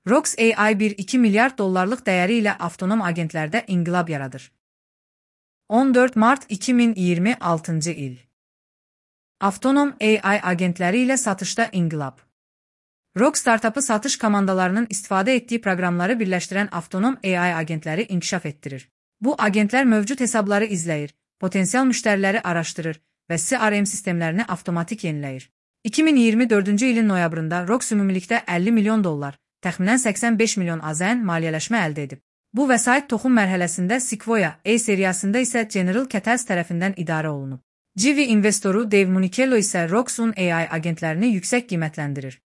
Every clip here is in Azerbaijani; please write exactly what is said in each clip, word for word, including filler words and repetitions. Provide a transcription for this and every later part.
Rox A I bir iki milyar dollarlıq dəyəri ilə avtonom agentlərdə inqilab yaradır. on dörd mart iki min iyirmi altıncı il. Avtonom A I agentləri ilə satışda inqilab. Rox startapı satış komandalarının istifadə etdiyi proqramları birləşdirən avtonom A I agentləri inkişaf etdirir. Bu agentlər mövcud hesabları izləyir, potensial müştəriləri araşdırır və C R M sistemlərini avtomatik yeniləyir. iki min iyirmi dördüncü ilin noyabrında Rox ümumilikdə əlli milyon dollar, təxminən səksən beş milyon A Z N maliyyələşmə əldə edib. Bu vəsait toxum mərhələsində Sequoia A seriyasında isə General Catalyst tərəfindən idarə olunub. Civi investoru Dave Municello isə Rox'un A I agentlərini yüksək qiymətləndirir.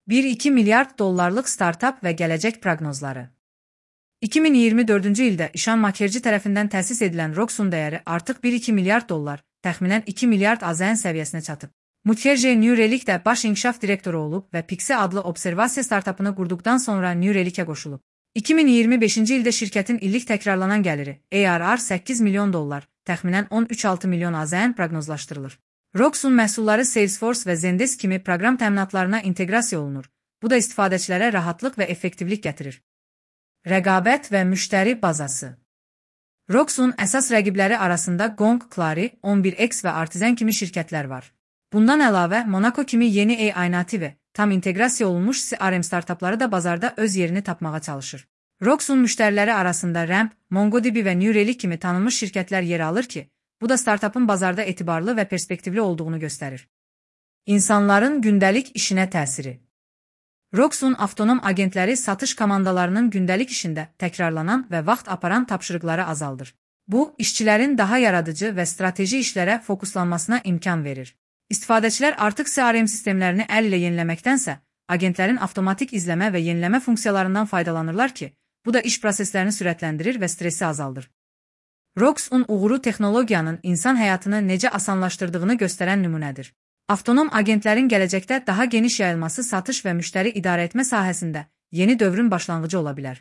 bir iki milyard dollarlıq startap və gələcək proqnozları. iki min iyirmi dördüncü ildə İşan Makerci tərəfindən təsis edilən Rox'un dəyəri artıq bir iki milyard dollar, təxminən iki milyard A Z N səviyyəsinə çatıb. Mukherjee New Relic də baş inkişaf direktoru olub və Pixie adlı observasiya startapını qurduqdan sonra New Relic'ə qoşulub. iki min iyirmi beşinci ildə şirkətin illik təkrarlanan gəliri A R R səkkiz milyon dollar, təxminən on üç altı milyon A Z N proqnozlaşdırılır. Rox'un məhsulları Salesforce və Zendesk kimi proqram təminatlarına inteqrasiya olunur. Bu da istifadəçilərə rahatlıq və effektivlik gətirir. Rəqabət və müştəri bazası. Rox'un əsas rəqibləri arasında Gong, Clari, on bir X və Artisan kimi şirkətlər var. Bundan əlavə, Monaco kimi yeni A I nativi, tam inteqrasiya olunmuş C R M startapları da bazarda öz yerini tapmağa çalışır. Rox'un müştəriləri arasında Ramp, MongoDB və New Relic kimi tanınmış şirkətlər yer alır ki, bu da startapın bazarda etibarlı və perspektivli olduğunu göstərir. İnsanların gündəlik işinə təsiri. Rox'un avtonom agentləri satış komandalarının gündəlik işində təkrarlanan və vaxt aparan tapşırıqları azaldır. Bu, işçilərin daha yaradıcı və strateji işlərə fokuslanmasına imkan verir. İstifadəçilər artıq C R M sistemlərini əl ilə yeniləməkdənsə, agentlərin avtomatik izləmə və yeniləmə funksiyalarından faydalanırlar ki, bu da iş proseslərini sürətləndirir və stressi azaldır. Rox'un uğuru texnologiyanın insan həyatını necə asanlaşdırdığını göstərən nümunədir. Avtonom agentlərin gələcəkdə daha geniş yayılması satış və müştəri idarə etmə sahəsində yeni dövrün başlanğıcı ola bilər.